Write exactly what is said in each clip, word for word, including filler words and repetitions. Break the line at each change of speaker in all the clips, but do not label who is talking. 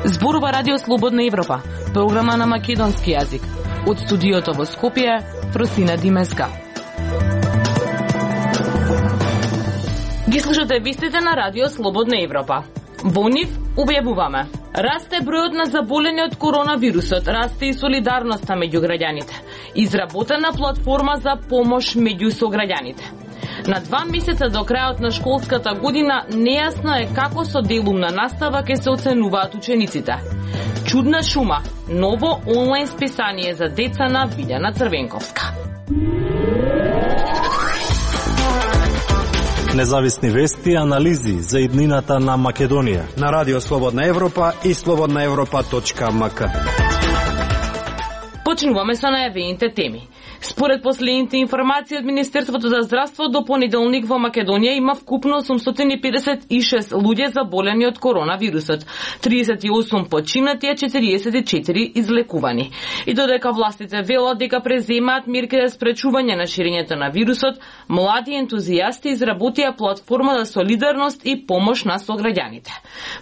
Зборува Радио Слободна Европа, програма на македонски јазик. Од студиото во Скопје, Фросина Димеска. Ги слушате вестите на Радио Слободна Европа. Во нив објавуваме: расте бројот на заболени од коронавирусот, расте и солидарноста меѓу граѓаните. Изработена платформа за помош меѓу сограѓаните. На два месеца до крајот на школската година нејасно е како со делумна настава ќе се оценуваат учениците. Чудна шума, ново онлайн списание за деца на Вилјана Црвенковска.
Независни вести и анализи за иднината на Македонија
на Радио Слободна Европа и слободна европа точка ем ка.
Почнуваме со најавените теми. Според последните информации од Министерството за здравство, до понеделник во Македонија има вкупно осумстотини и педесет и шест луѓе заболени од коронавирусот, триесет и осум починати, а четириесет и четири излекувани. И додека властите велат дека преземаат мерки за спречување на ширењето на вирусот, млади ентузијасти изработија платформа за солидарност и помош на сограѓаните.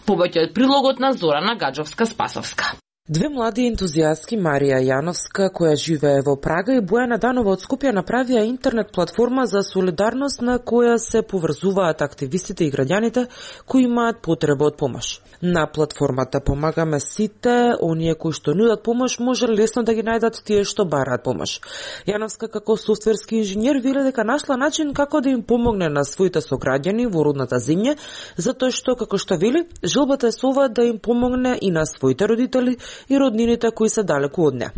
Повеќе од прилогот на Зорана Гаджовска-Спасовска.
Две млади ентузијастки, Марија Јановска, која живее во Прага, и Бојана Данова од Скопје направија интернет платформа за солидарност на која се поврзуваат активистите и граѓаните кои имаат потреба од помош. На платформата помагаме сите, оние кои што нудат помош може лесно да ги најдат тие што бараат помош. Јановска како софтверски инженер вели дека нашла начин како да им помогне на своите сограѓани во родната земја, затоа што, како што вели, желбата е со ова да им помогне и на своите родители и роднините кои се далеку од неа.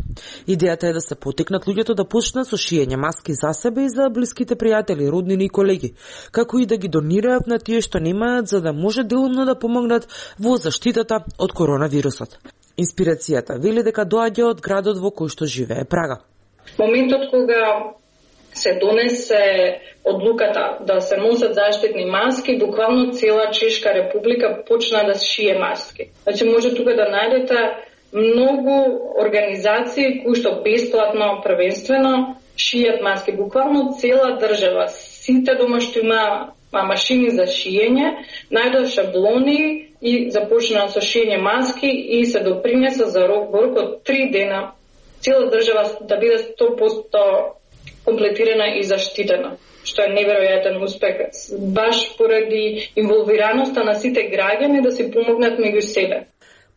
Идејата е да се потикнат луѓето да почнат со шиење маски за себе и за блиските пријатели, роднини и колеги, како и да ги донираат на тие што немаат, за да може делумно да помогнат во заштитата од коронавирусот. Инспирацијата вели дека доаѓа од градот во кој што живее Прага.
Моментот кога се донесе одлуката да се носат заштитни маски, буквално цела Чешка република почна да шие маски. Значи може тука да најдете многу организации кои што бесплатно, првенствено шијат маски. Буквално цела држава, сите дома што има машини за шиење, најдоа шаблони и започнаа со шиење маски и се допринеса за рок во рок од три дена цела држава да биде сто проценти комплетирана и заштитена, што е неверојатен успех, баш поради инволвираноста на сите граѓани да си помогнат меѓу себе.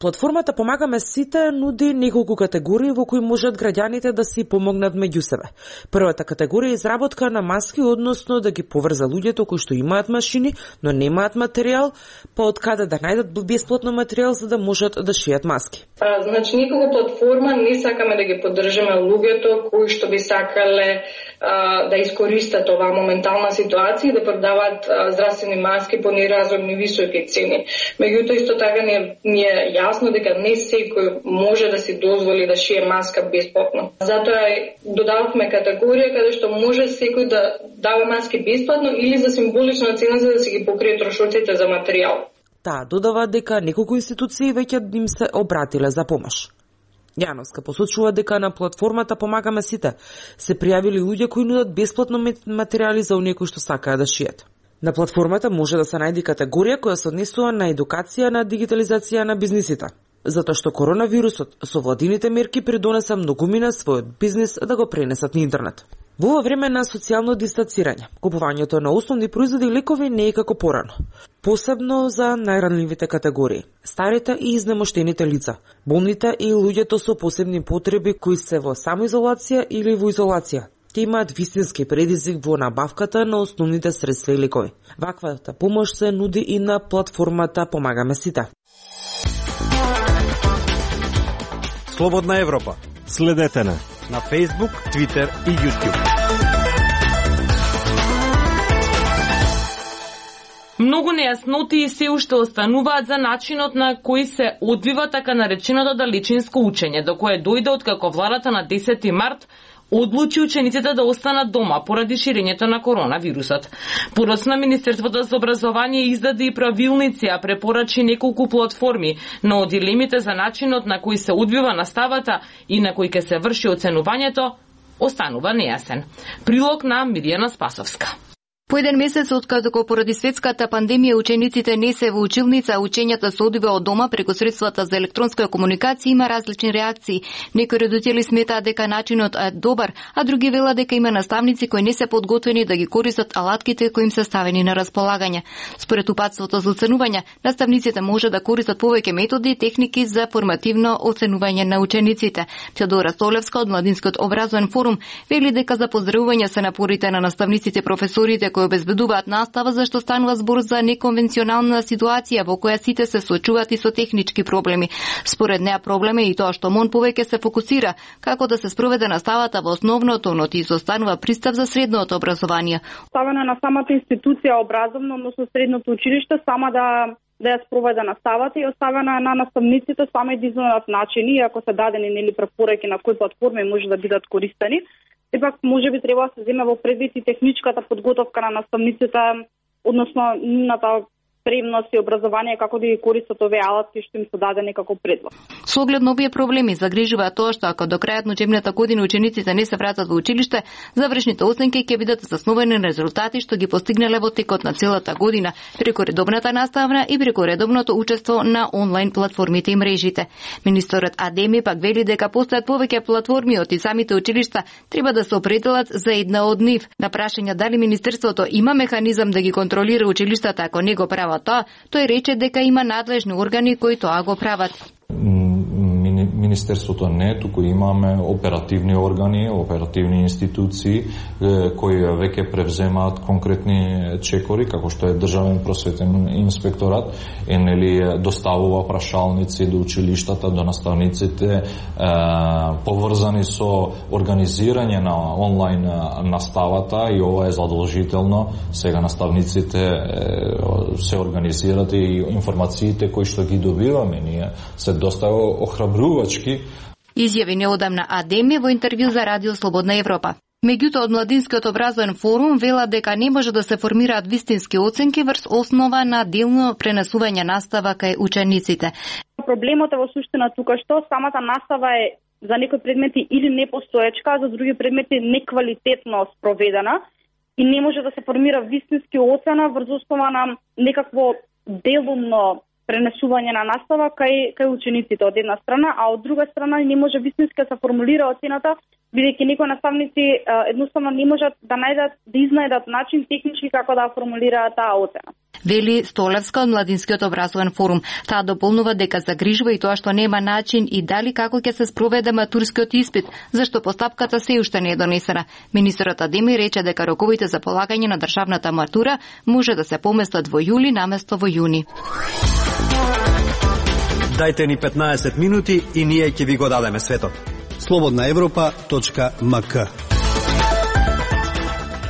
Платформата Помагаме сите нуди неколку категории во кои можат граѓаните да си помогнат меѓу себе. Првата категорија е изработка на маски, односно да ги поврза луѓето кои што имаат машини, но немаат материјал, па од каде да најдат бесплатно материјал за да можат да шијат маски.
А, значи, никога платформа не сакаме да ги поддржиме луѓето кои што би сакале а, да искористат оваа моментална ситуација и да продаваат а, здравствени маски по неразумни високи цени. Меѓутоа исто така не е јасно дека не секој може да си дозволи да шие маска бесплатно. Затоа додававме категорија каде што може секој да дава маски бесплатно или за символична цена за да си ги покрие трошоците за материјал.
Таа додава дека неколку институции веќе им се обратиле за помош. Јановска посочува дека на платформата Помагаме сите се пријавили луѓе кои нудат бесплатно материјали за оние кои што сакаат да шијат. На платформата може да се најде категорија која се однесува на едукација на дигитализација на бизнисите, затоа што коронавирусот со владините мерки придонеса многумина својот бизнис да го пренесат на интернет. Во ова време на социјално дистанцирање, купувањето на основни производи и лекови не е како порано, посебно за најранливите категории, старите и изнемоштените лица, болните и луѓето со посебни потреби кои се во самоизолација или во изолација. Те имаат вистински предизвик во набавката на основните средства и лекови. Ваквата помош се нуди и на платформата Помагаме сите.
Слободна Европа.
Следете на
на Facebook, Twitter и YouTube.
Многу нејаснотии се уште остануваат за начинот на кој се одвива така нареченото далечинско учење, до кое дојде откако владата на десети март одлучи учениците да останат дома поради ширењето на коронавирусот. Подоцна Министерството за образование издаде и правилници, а препорачи неколку платформи на одделимите за начинот на кој се одвива наставата и на кој ќе се врши оценувањето, останува нејасен. Прилог на Миријана Спасовска.
По еден месец откако поради светската пандемија учениците не се во училница, учењата се одвива од дома преку средствата за електронска комуникација, има различни реакции. Некои родители сметаат дека начинот е добар, а други велат дека има наставници кои не се подготвени да ги користат алатките кои им се ставени на располагање. Според упатството за оценување, наставниците може да користат повеќе методи и техники за формативно оценување на учениците. Теодора Столевска од Младинскиот образовен форум вели дека за поздравување се напорите на наставниците и професорите кои обезбедуваат настава, зашто станува збор за неконвенционална ситуација во која сите се соочуваат и со технички проблеми. Според неа проблем е и тоа што МОН повеќе се фокусира како да се спроведе наставата во основното, но ти изостанува пристап за средното образование.
Ставено на самата институција образовно, односно средното училиште, сама да да ја спроведе наставата и оставена на наставниците сами да изнајдат начини, ако се дадени нели препораки на кои платформи може да бидат користени. Епак, може би треба да се земе во предвид и техничката подготовка на наставниците, односно нивната спремност и образование како да ги користат овие алатки што им се дадени како предлог.
Со оглед на овие проблеми загрижува тоа што ако до крајот на учебната година учениците не се вратат во училиште, завршните оценки ќе бидат заснувани на резултати што ги постигнале во текот на целата година преку редовната наставна и преку редовното учество на онлайн платформите и мрежите. Министерот Адеми пак вели дека постојат повеќе платформи од и самите училишта треба да се определат за една од нив. На прашање дали министерството има механизам да ги контролира училиштата ако не го прават тоа, тој рече дека има надлежни органи кои тоа го прават.
Министерството не, туку имаме оперативни органи, оперативни институции кои веќе превземаат конкретни чекори, како што е Државен просветен инспекторат, е нели доставува прашалници до училиштата, до наставниците, поврзани со организирање на онлайн наставата и ова е задолжително. Сега наставниците се организираат и информациите кои што ги добиваме ние се доста охрабрувачки.
Изјави неодамна Адеми во интервју за Радио Слободна Европа. Меѓутоа, од Младинскиот образовен форум велат дека не може да се формираат вистински оценки врз основа на делно пренесување настава кај учениците.
Проблемот е во суштина тука што самата настава е за некои предмети или непостоечка, а за други предмети неквалитетно спроведена и не може да се формира вистински оцена врз основа на некакво делумно пренесување на настава кај кај учениците од една страна, а од друга страна не може вистински да се формулира оцената, бидејќи некои наставници едноставно не можат да најдат да изнајдат начин технички како да формулираат таа оцена.
Вели Столевска од Младинскиот образовен форум. Таа дополнува дека загрижува и тоа што нема начин и дали како ќе се спроведе матурскиот испит, зашто постапката се уште не е донесена. Министерот Адеми рече дека роковите за полагање на државната матура може да се поместат во јули наместо во јуни.
Дајте ни петнаесет минути и ние ќе ви го дадеме светот. слободна европа точка ем ка.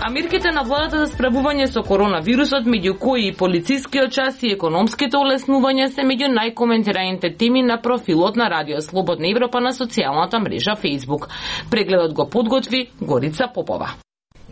А мерките на владата за справување со коронавирусот, меѓу кои и полицискиот час и економските олеснувања, се меѓу најкоментираните теми на профилот на Радио Слободна Европа на социјалната мрежа Facebook. Прегледот го подготви Горица Попова.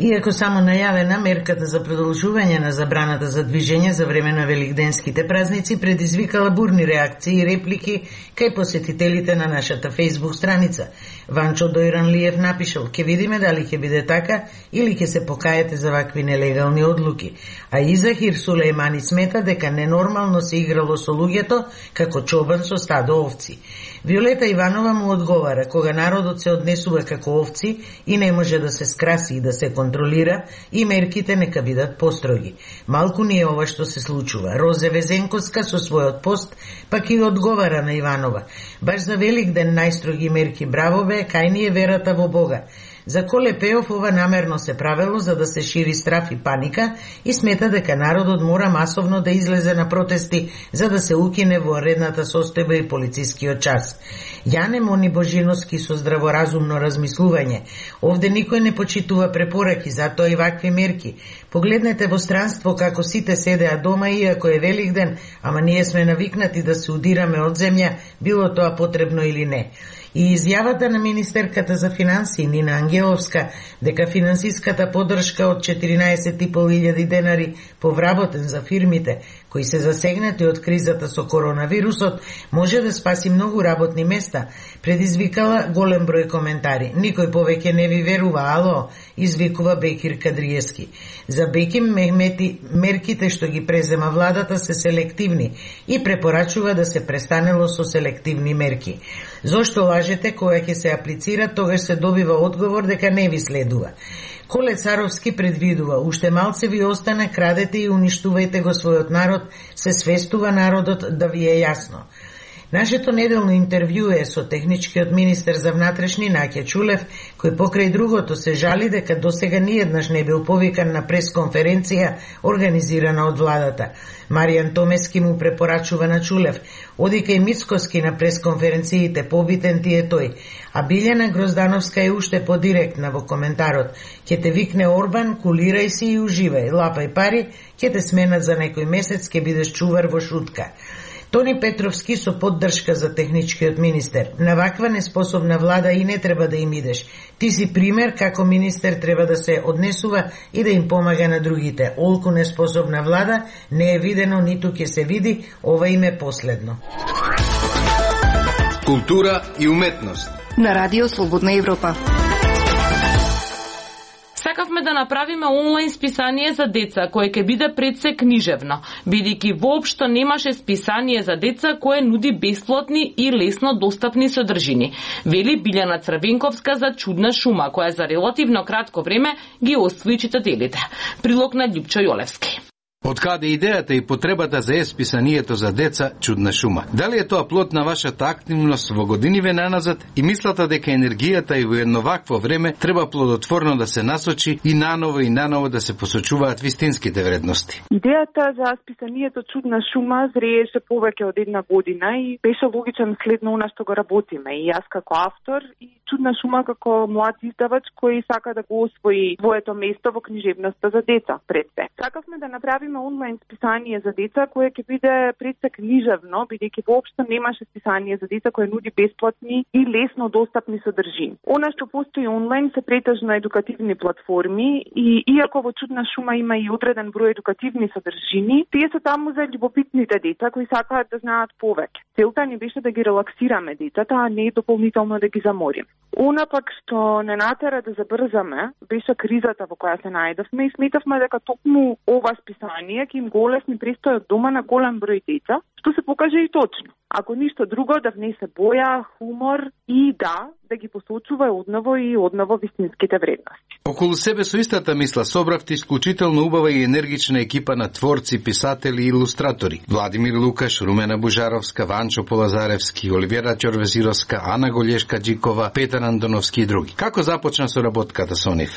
Иако само најавена, мерката за продолжување на забраната за движење за време на великденските празници предизвикала бурни реакции и реплики кај посетителите на нашата Facebook страница. Ванчо Дојранлиев напишал: "Ке видиме дали ќе биде така или ќе се покаете за вакви нелегални одлуки." А Изахир Сулејмани смета дека ненормално се играло со луѓето како чобан со стадо овци. Виолета Иванова му одговара: "Кога народот се однесува како овци и не може да се скраси и да се контролира, и мерките нека бидат построги. Малку ни е ова што се случува." Розе Везенковска со својот пост пак и одговара на Иванова: "Баш за Великден најстроги мерки, браво бе, кај ни е верата во Бога." За Коле Пеов ова намерно се правело за да се шири страф и паника и смета дека народот мора масовно да излезе на протести за да се укине воредната состојба и полицискиот час. Јане Мони Божиновски со здраворазумно размислување: "Овде никој не почитува препораки, затоа и вакви мерки. Погледнете во странство како сите седеа дома иако е Великден, ама ние сме навикнати да се удираме од земја, било тоа потребно или не." И изјавата на министерката за финансии Нина Ангеловска дека финансиската поддршка од четиринаесет и пол илјади денари повработен за фирмите кои се засегнати од кризата со коронавирусот може да спаси многу работни места, предизвикала голем број коментари. Никој повеќе не ви верува, ало, извикува Бекир Кадриевски. За Беким Мехмети мерките што ги презема владата се селективни и препорачува да се престанело со селективни мерки. Зошто лажете кога ќе се аплицира, тогаш се добива одговор дека не ви следува. Коле Царовски предвидува, уште малце ви остане, крадете и уништувајте го својот народ, се свестува народот да ви е јасно. Нашето неделно интервју е со техничкиот министер за внатрешни Наќа Чулев, кој покрај другото се жали дека досега ниеднаш не бил повикан на пресконференција организирана од владата. Маријан Томески му препорачува на Чулев: оди кај Мицкоски на пресконференциите, побитен ти е тој. А Билјана Гроздановска е уште подиректна во коментарот: ќе те викне Орбан, кулирај си и уживај, лапај пари, ќе те сменат за некој месец, ќе бидеш чувар во шутка. Тони Петровски со поддршка за техничкиот министер: на ваква неспособна влада и не треба да им идеш. Ти си пример како министер треба да се однесува и да им помага на другите. Олку неспособна влада не е видено, ниту ќе се види, ова им е последно.
Култура и уметност
на Радио Слободна Европа.
Сакавме да направиме онлайн списание за деца, кое ќе биде предсе книжевно, бидејќи воопшто немаше списание за деца кое нуди бесплатни и лесно достапни содржини, вели Билјана Црвенковска за Чудна шума, која за релативно кратко време ги освои читателите. Прилог на Љупчо Јолевски.
Од каде идејата и потребата за е-списанието за деца Чудна шума? Дали е тоа плод на вашата активност во годиниве наназад и мислата дека енергијата и во едно вакво време треба плодотворно да се насочи и наново и наново да се посочуваат вистинските вредности?
Идејата за списанието Чудна шума зрееше повеќе од една година и беше логичен след на она што го работиме. И јас како автор и Чудна шума како млад издавач кој сака да го освои своето место во книжевноста за деца пред се. Сакавме да направиме онлайн списание за деца кое ќе биде пред се книжевно, бидејќи воопшто немаше списание за деца кое нуди бесплатни и лесно достапни содржини. Она што постои онлайн се претежно едукативни платформи и иако во Чудна шума има и одреден број едукативни содржини, тие се таму за љубопитните деца кои сакаат да знаат повеќе. Целта ни беше да ги релаксираме децата, а не дополнително да ги замориме. Она пак што не натера да забрзаме беше кризата во која се најдовме и сметавме дека токму ова списание ќе им го олесни престојот дома на голем број деца, што се покаже и точно. Ако ништо друго, да внесе боја, хумор и да, да ги посочува одново и одново вистинските вредности.
Околу себе со истата мисла собравте исклучително убава и енергична екипа на творци, писатели и илустратори. Владимир Лукаш, Румена Бужаровска, Ванчо Полазаревски, Оливера Ќорвезировска, Ана Голешка Джикова, Петар Андоновски и други. Како започна соработката со нив?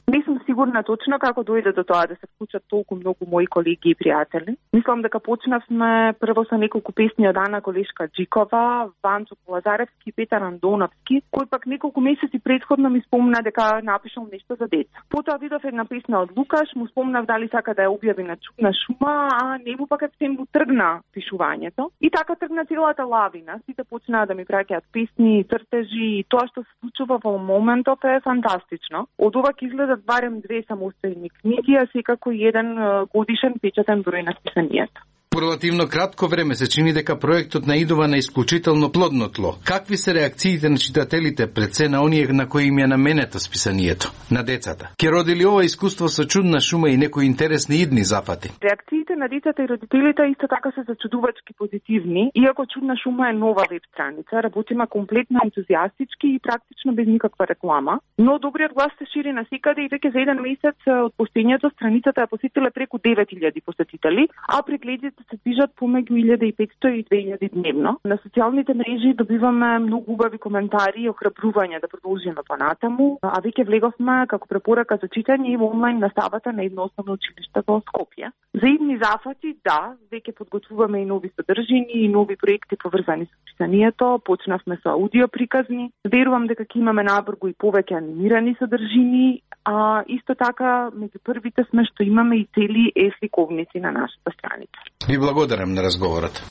Не сум сигурна точно како дојде до тоа да се вклучат толку многу мои колеги и пријатели. Мислам дека почнавме прво со неколку песни од Ана Голешка Джикова, Ванчо Полазаревски и Петар Андоновски, кој пак неколку месеци претходно ми спомна дека напишал нешто за деца. Потоа видов една песна од Лукаш, му спомнав дали сака да ја објави на Чудна шума, а нему пак се му тргна пишувањето. И така тргна целата лавина. Сите почнаа да ми праќаат песни, цртежи и тоа што се случува во моментов е фантастично. Од ова ќе изгледа барем две самостојни книги, а секако еден годишен печатен број на списанието.
По релативно кратко време се чини дека проектот наидува на исклучително плодно тло. Какви се реакциите на читателите пред се на оние на кои им ја наменето списанието, на децата? Ке роди ли ова искуство со Чудна шума и некои интересни идни зафати?
Реакциите на децата и родителите исто така се зачудувачки позитивни, иако Чудна шума е нова веб страница, работиме комплетно ентузијастички и практично без никаква реклама, но добриот глас се шири насекаде и веќе за еден месец од постоењето страницата ја посетиле преку девет илјади посетители, а прегледите се движат помеѓу илјада и петстотини и две илјади дневно. На социјалните мрежи добиваме многу убави коментари и охрабрување да продолжиме понатаму, а веќе влеговме како препорака за читање и во онлайн наставата на едно основно училиште во Скопје. За идни зафати, да, веќе подготвуваме и нови содржини и нови проекти поврзани со писанието, почнавме со аудио приказни. Верувам дека ќе имаме набргу и повеќе анимирани содржини, а исто така меѓу првите сме што имаме и цели е-сликовници на нашата страница.
Ви благодарам на разговорот.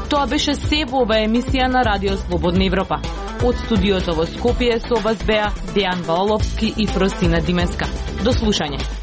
Тоа беше се во ова емисија на Радио Слободна Европа. Од студиото во Скопје со вас беа Дејан Валовски и Фросина Димеска. До слушање.